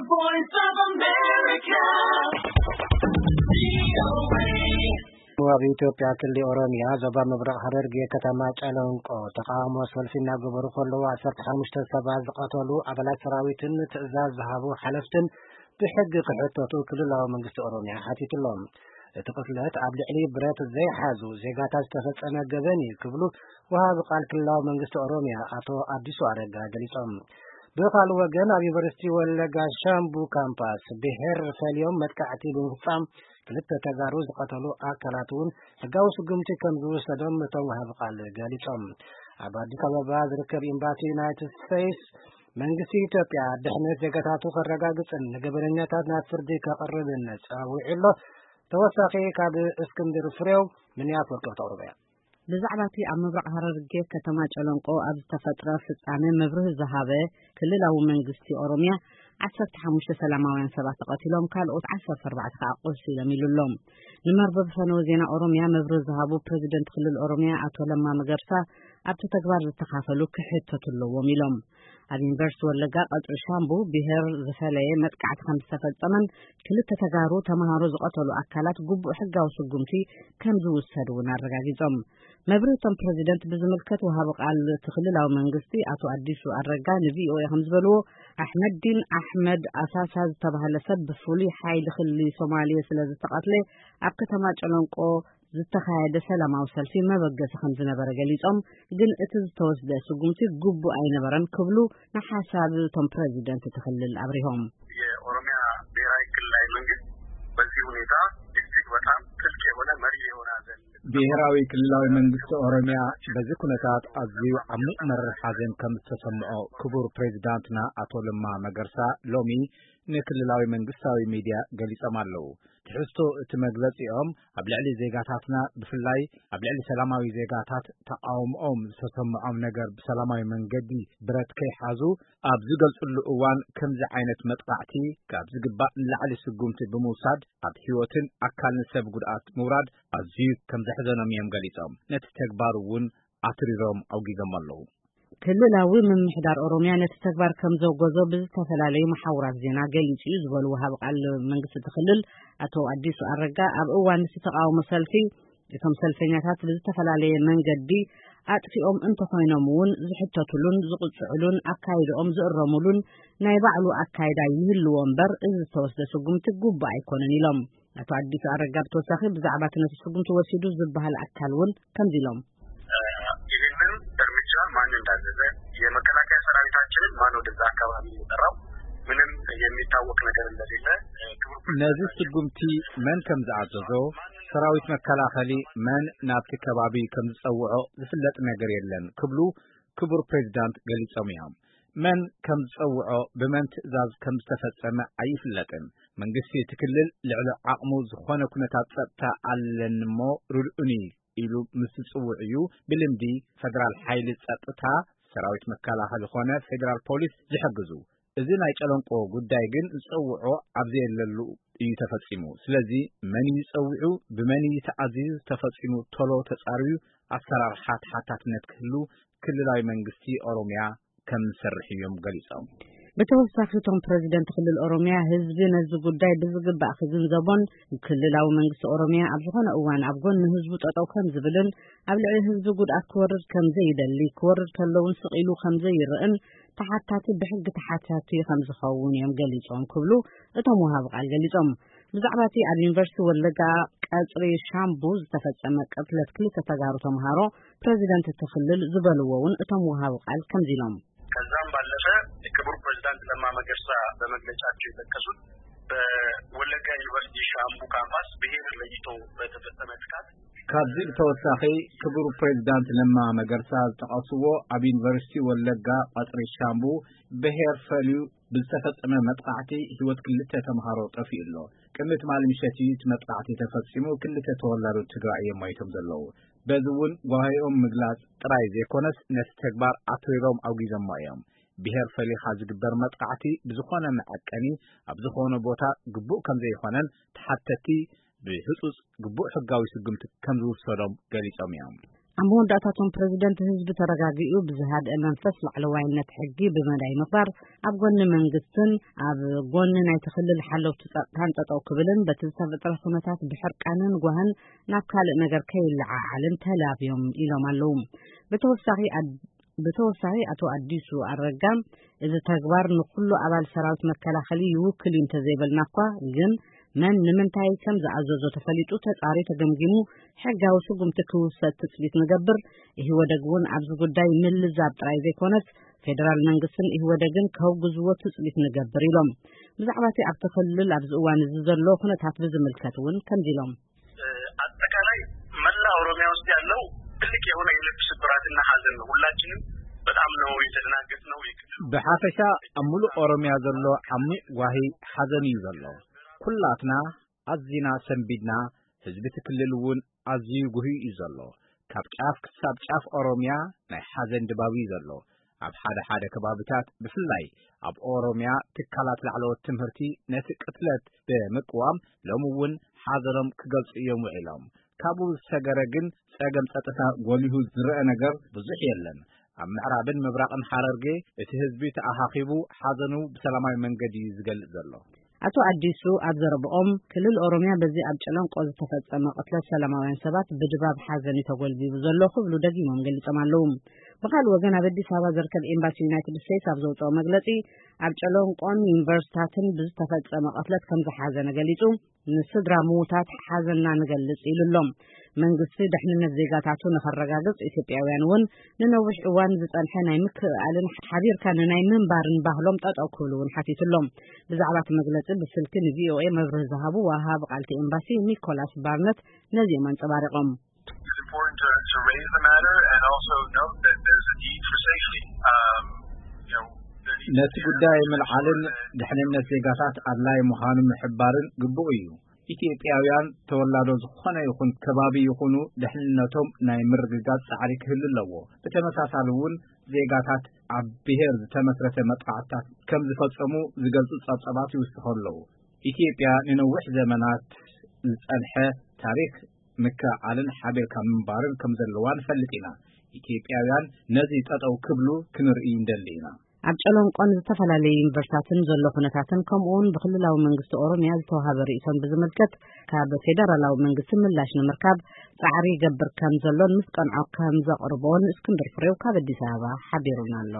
Voice of America. ኣብ ኢትዮጵያ ክልል ኦሮሚያ ዞባ ምብራቕ ሐረርጌ ከተማ ጨለንቆ ተቃውሞ ሰልፊ እናገበሩ ከለዉ ዓሰርተ ሓሙሽተ ሰባት ዝቐተሉ ኣባላት ሰራዊትን ትእዛዝ ዝሃቡ ሓለፍትን ብሕጊ ክሕተቱ ክልላዊ መንግስቲ ኦሮሚያ ሓቲቱሎም። እቲ ቅትለት ኣብ ልዕሊ ብረት ዘይሓዙ ዜጋታት ዝተፈጸመ ገበን እዩ ክብሉ ወሃቢ ቃል ክልላዊ መንግስቲ ኦሮሚያ ኣቶ ኣዲሱ ኣረጋ ገሊጾም። ብኻልእ ወገን ኣብ ዩኒቨርሲቲ ወለጋ ሻምቡ ካምፓስ ብሄር ፈልዮም መጥቃዕቲ ብምፍጻም ክልተ ተጋሩ ዝቐተሉ ኣካላት እውን ሕጋዊ ስጉምቲ ከም ዝውሰዶም እቶም ወሃቢ ቃል ገሊጾም። ኣብ ኣዲስ ኣበባ ዝርከብ ኤምባሲ ዩናይትድ ስቴትስ መንግስቲ ኢትዮጵያ ድሕነት ዜጋታቱ ከረጋግጽን ንገበነኛታት ናብ ፍርዲ ከቕርብን ጸዊዑ ኣሎ። ተወሳኺ ካብ እስክንድር ፍሬው ሚኒያፖሊስ ከተቕርቦ እያ። ብዛዕባ እቲ ኣብ ምብራቕ ሐረርጌ ከተማ ጨለንቆ ኣብ ዝተፈጥረ ፍጻሜ መብርሂ ዝሃበ ክልላዊ መንግስቲ ኦሮሚያ ዓሰርተ ሓሙሽተ ሰላማውያን ሰባት ተቐቲሎም ካልኦት ዓሰርተ ኣርባዕተ ከኣ ቆሲሎም ኢሉ ኣሎ። ንመርበብ ፈነወ ዜና ኦሮሚያ መብርሂ ዝሃቡ ፕሬዚደንት ክልል ኦሮሚያ ኣቶ ለማ መገርሳ ኣብቲ ተግባር ዝተኻፈሉ ክሕተቱ ኣለዎም ኢሎም። ኣብ ዩኒቨርሲቲ ወለጋ ቀጽሪ ሻምቡ ብሄር ዝፈለየ መጥቃዕቲ ከም ዝተፈጸመን ክልተ ተጋሩ ተምሃሮ ዝቐተሉ ኣካላት ግቡእ ሕጋዊ ስጉምቲ ከም ዝውሰድ እውን ኣረጋጊጾም። መብርሂ እቶም ፕረዚደንት ብዝምልከት ወሃቢ ቃል እቲ ክልላዊ መንግስቲ ኣቶ ኣዲሱ ኣረጋ ንቪኦኤ ከም ዝበልዎ ኣሕመዲን ኣሕመድ ኣሳሳ ዝተባህለ ሰብ ብፍሉይ ሓይሊ ክልል ሶማሌ ስለ ዝተቐትለ ኣብ ከተማ ጨለንቆ ዝተኻየደ ሰላማዊ ሰልፊ መበገሲ ከም ዝነበረ ገሊጾም፣ ግን እቲ ዝተወስደ ስጉምቲ ግቡእ ኣይነበረን ክብሉ ንሓሳብ እቶም ፕረዚደንት እቲ ክልል ኣብሪሆም። የኦሮሚያ ብሔራዊ ክልላዊ መንግስት በዚህ ሁኔታ እጅግ በጣም ጥልቅ የሆነ መሪር የሆነ ሐዘን ብሔራዊ ክልላዊ መንግስቲ ኦሮሚያ በዚ ኩነታት ኣዝዩ ዓሚቕ መሪር ሓዘን ከም ዝተሰምዖ ክቡር ፕሬዚዳንትና ኣቶ ለማ መገርሳ ሎሚ ንክልላዊ መንግስታዊ ሚድያ ገሊጾም ኣለዉ። ትሕዝቶ እቲ መግለጺኦም ኣብ ልዕሊ ዜጋታትና ብፍላይ ኣብ ልዕሊ ሰላማዊ ዜጋታት ተቃውሞኦም ዝተሰምዖም ነገር ብሰላማዊ መንገዲ ብረት ከይሓዙ ኣብ ዝገልጽሉ እዋን ከምዚ ዓይነት መጥቃዕቲ ካብ ዝግባእ ንላዕሊ ስጉምቲ ብምውሳድ ኣብ ህይወትን ኣካልን ሰብ ጉድኣት ምውራድ ኣዝዩ ከም ዘሕዘኖም እዮም ገሊጾም። ነቲ ተግባር እውን ኣትሪሮም ኣውጊዞም ኣለዉ። ክልላዊ ምምሕዳር ኦሮሚያ ነቲ ተግባር ከም ዘውገዞ ብዝተፈላለዩ መሓውራት ዜና ገሊጹ እዩ ዝበሉ ወሃቢ ቃል መንግስቲ እቲ ክልል ኣቶ ኣዲሱ ኣረጋ ኣብ እዋን እቲ ተቃውሞ ሰልፊ እቶም ሰልፈኛታት ብዝተፈላለየ መንገዲ ኣጥፊኦም እንተኾይኖም እውን ዝሕተቱሉን ዝቕጽዕሉን ኣካይድኦም ዝእረሙሉን ናይ ባዕሉ ኣካይዳ ይህልዎ እምበር እዚ ዝተወስደ ስጉምቲ ግቡእ ኣይኮነን ኢሎም። ኣቶ ኣዲሱ ኣረጋ ብተወሳኺ ብዛዕባ እቲ ነቲ ስጉምቲ ወሲዱ ዝበሃል ኣካል እውን ከምዚ ኢሎም። ይህንን እርምጃ ማን እንዳዘዘ የመከላከያ ሰራዊታችንን ማን ወደዛ አካባቢ የጠራው ምንም የሚታወቅ ነገር እንደሌለ ክቡር ነዚ ስጉምቲ መን ከም ዝኣዘዞ ሰራዊት መከላኸሊ መን ናብቲ ከባቢ ከም ዝጸውዖ ዝፍለጥ ነገር የለን ክብሉ ክቡር ፕሬዚዳንት ገሊጾም እዮም። መን ከም ዝጸውዖ ብመን ትእዛዝ ከም ዝተፈጸመ ኣይፍለጥን። መንግስቲ እቲ ክልል ልዕሊ ዓቕሙ ዝኾነ ኩነታት ጸጥታ ኣለኒ እሞ ርድኡኒ ኢሉ ምስ ዝጽውዕ እዩ ብልምዲ ፈደራል ሓይሊ ጸጥታ ሰራዊት መከላኸሊ ኾነ ፌደራል ፖሊስ ዝሕግዙ። እዚ ናይ ጨለንቆ ጉዳይ ግን ዝጸውዖ ኣብ ዘየለሉ እዩ ተፈጺሙ። ስለዚ መን እዩ ጸዊዑ ብመን እዩ ተኣዚዙ ተፈጺሙ ቶሎ ተጻርዩ ኣሰራርሓ ተሓታትነት ክህሉ ክልላዊ መንግስቲ ኦሮሚያ ከም ዝሰርሕ እዮም ገሊጾም። ብተወሳኺ እቶም ፕረዚደንት ክልል ኦሮሚያ ህዝቢ ነዚ ጉዳይ ብዝግባእ ክግንዘቦን ክልላዊ መንግስቲ ኦሮሚያ ኣብ ዝኾነ እዋን ኣብ ጎኒ ህዝቡ ጠጠው ከም ዝብልን ኣብ ልዕሊ ህዝቢ ጉድኣት ክወርድ ከም ዘይደሊ ክወርድ ከለውን ስቕ ኢሉ ከም ዘይርእን ተሓታቲ ብሕጊ ተሓታቲ ከም ዝኸውን እዮም ገሊጾም ክብሉ እቶም ወሃቢ ቃል ገሊጾም። ብዛዕባ እቲ ኣብ ዩኒቨርሲቲ ወለጋ ቀጽሪ ሻምቡ ዝተፈጸመ ቅትለት ክልተ ተጋሩ ተምሃሮ ፕረዚደንት እቲ ክልል ዝበልዎ እውን እቶም ወሃቢ ቃል ከምዚ ኢሎም። ከዛም ባለፈ ክቡር ፕሬዚዳንት ለማ መገርሳ በመግለጫቸው የጠቀሱት በወለጋ ዩኒቨርሲቲ ሻምቡ ካምፓስ ብሔር ለይቶ በተፈጸመ ጥቃት ካብዚ ብተወሳኺ ክቡር ፕሬዚዳንት ለማ መገርሳ ዝጠቐስዎ ኣብ ዩኒቨርሲቲ ወለጋ ቀጽሪ ሻምቡ ብሔር ፈልዩ ብዝተፈጸመ መጥቃዕቲ ህይወት ክልተ ተምሃሮ ጠፊኡ ኣሎ። ቅድሚ ትማሊ ምሸት እዩ እቲ መጥቃዕቲ ተፈጺሙ፣ ክልተ ተወላዶ ትግራይ እዮም ሞይቶም ዘለዉ። በዚ እውን ጓሂኦም ምግላጽ ጥራይ ዘይኮነስ ነቲ ተግባር ኣትሪሮም ኣውጊዞሞ እዮም። ብሄር ፈሊኻ ዝግበር መጥቃዕቲ ብዝኾነ መዐቀኒ ኣብ ዝኾነ ቦታ ግቡእ ከም ዘይኾነን ተሓተቲ ብህጹጽ ግቡእ ሕጋዊ ስጉምቲ ከም ዝውሰዶም ገሊጾም እዮም። ኣብ መወዳእታቶም ፕረዚደንት ህዝቢ ተረጋጊኡ ብዝሃድአ መንፈስ ላዕለዋይነት ሕጊ ብመዳይ ምግባር፣ ኣብ ጎኒ መንግስትን ኣብ ጎኒ ናይቲ ክልል ሓለውቲ ጸጥታን ጠጠው ክብልን በቲ ዝተፈጥረ ኩነታት ብሕርቃንን ጓህን ናብ ካልእ ነገር ከይለዓዓልን ተላብዮም ኢሎም ኣለዉ። ብተወሳኺ ኣድ-፣ ብተወሳኺ ኣቶ ኣዲሱ ኣረጋ እዚ ተግባር ንኩሉ ኣባል ሰራዊት መከላኸሊ ይውክል እዩ እንተዘይበልና እኳ ግን መን ንምንታይ ከም ዝኣዘዞ ተፈሊጡ ተጻሪ ተገምጊሙ ሕጋዊ ስጉምቲ ክውሰድ ትጽቢት ንገብር። ኢህወደግ እውን ኣብዚ ጉዳይ ምልዛብ ጥራይ ዘይኮነስ ፌደራል መንግስትን ኢህወደግን ከውግዝዎ ትጽቢት ንገብር ኢሎም። ብዛዕባ እቲ ኣብቲ ክልል ኣብዚ እዋን እዚ ዘሎ ኩነታት ብዝምልከት እውን ከምዚ ኢሎም። አጠቃላይ መላ ኦሮሚያ ውስጥ ያለው ትልቅ የሆነ የልብ ስብራትና ሐዘን ነው። ሁላችንም በጣም ነው የተደናገጥነው። የክልሉ ብሓፈሻ ኣብ ሙሉእ ኦሮሚያ ዘሎ ዓሚቕ ጓሂ ሓዘን እዩ ዘሎ። ኩላትና ኣዚና ሰንቢድና፣ ህዝቢ እቲ ክልል እውን ኣዝዩ ጉህዩ እዩ ዘሎ። ካብ ጫፍ ክሳብ ጫፍ ኦሮሚያ ናይ ሓዘን ድባብ እዩ ዘሎ። ኣብ ሓደ ሓደ ከባቢታት ብፍላይ ኣብ ኦሮሚያ ትካላት ላዕለዎት ትምህርቲ ነቲ ቅትለት ብምቅዋም ሎሚ እውን ሓዘኖም ክገልጹ እዮም ውዒሎም። ካብኡ ዝሰገረ ግን ጸገም ጸጥታ ጎሊሁ ዝረአ ነገር ብዙሕ የለን። ኣብ ምዕራብን ምብራቕን ሓረርጌ እቲ ህዝቢ ተኣኻኺቡ ሓዘኑ ብሰላማዊ መንገዲ እዩ ዝገልጽ ዘሎ። ኣቶ ኣዲሱ ኣብ ዘረብኦም ክልል ኦሮሚያ በዚ ኣብ ጨለንቆ ዝተፈጸመ ቅትለት ሰላማውያን ሰባት ብድባብ ሓዘን እዩ ተጎልቢቡ ዘሎ ክብሉ ደጊሞም ገሊጾም ኣለዉ። ብኻልእ ወገን ኣብ ኣዲስ ኣበባ ዝርከብ ኤምባሲ ዩናይትድ ስቴትስ ኣብ ዘውፅኦ መግለጺ ኣብ ጨለንቆን ዩኒቨርሲታትን ብዝተፈጸመ ቅትለት ከም ዝሓዘነ ገሊጹ ንስድራ ምዉታት ሓዘንና ንገልጽ ኢሉ ኣሎ። መንግስቲ ደሕንነት ዜጋታቱ ንኸረጋግጽ ኢትዮጵያውያን እውን ንነዊሕ እዋን ዝጸንሐ ናይ ምክእኣልን ሓቢርካ ንናይ ምንባርን ባህሎም ጠጠው ክብሉ እውን ሓቲቱ ኣሎ። ብዛዕባ እቲ መግለጺ ብስልኪ ንቪኦኤ መብርሂ ዝሃቡ ወሃቢ ቃልቲ ኤምባሲ ኒኮላስ ባርነት ነዚኦም ኣንጸባሪቖም። It's important to, to raise the matter and also note that there's a need for safety. Um, you know, there needs to ነቲ be ጉዳይ a ምልዓልን ድሕንነት ዜጋታት ኣድላይ ምዃኑ ምሕባርን ግቡእ እዩ። ኢትዮጵያውያን ተወላዶ ዝኾነ ይኹን ከባቢ ይኹኑ ድሕንነቶም ናይ ምርግጋጽ ጻዕሪ ክህሉ ኣለዎ። ብተመሳሳሊ እውን ዜጋታት ኣብ ብሄር ዝተመስረተ መጥቃዕትታት ከም ዝፈጸሙ ዝገልጹ ጸብጸባት ይውስኹ ኣለዉ። ኢትዮጵያ ንነዊሕ ዘመናት ዝጸንሐ ታሪኽ ምክእኣልን ሓቢርካ ምንባርን ከም ዘለዋ ንፈልጥ ኢና። ኢትዮጵያውያን ነዚ ጠጠው ክብሉ ክንርኢ እንደሊ ኢና። ኣብ ጨለንቆን ዝተፈላለዩ ዩኒቨርሲታትን ዘሎ ኩነታትን ከምኡውን ብክልላዊ መንግስቲ ኦሮሚያ ዝተዋሃበ ርእይቶን ብዝምልከት ካብ ፌደራላዊ መንግስቲ ምላሽ ንምርካብ ጻዕሪ ይገብር ከም ዘሎን ምስ ቀንዖ ከም ዘቕርቦን እስክንድር ፍሬው ካብ ኣዲስ ኣበባ ሓቢሩና ኣሎ።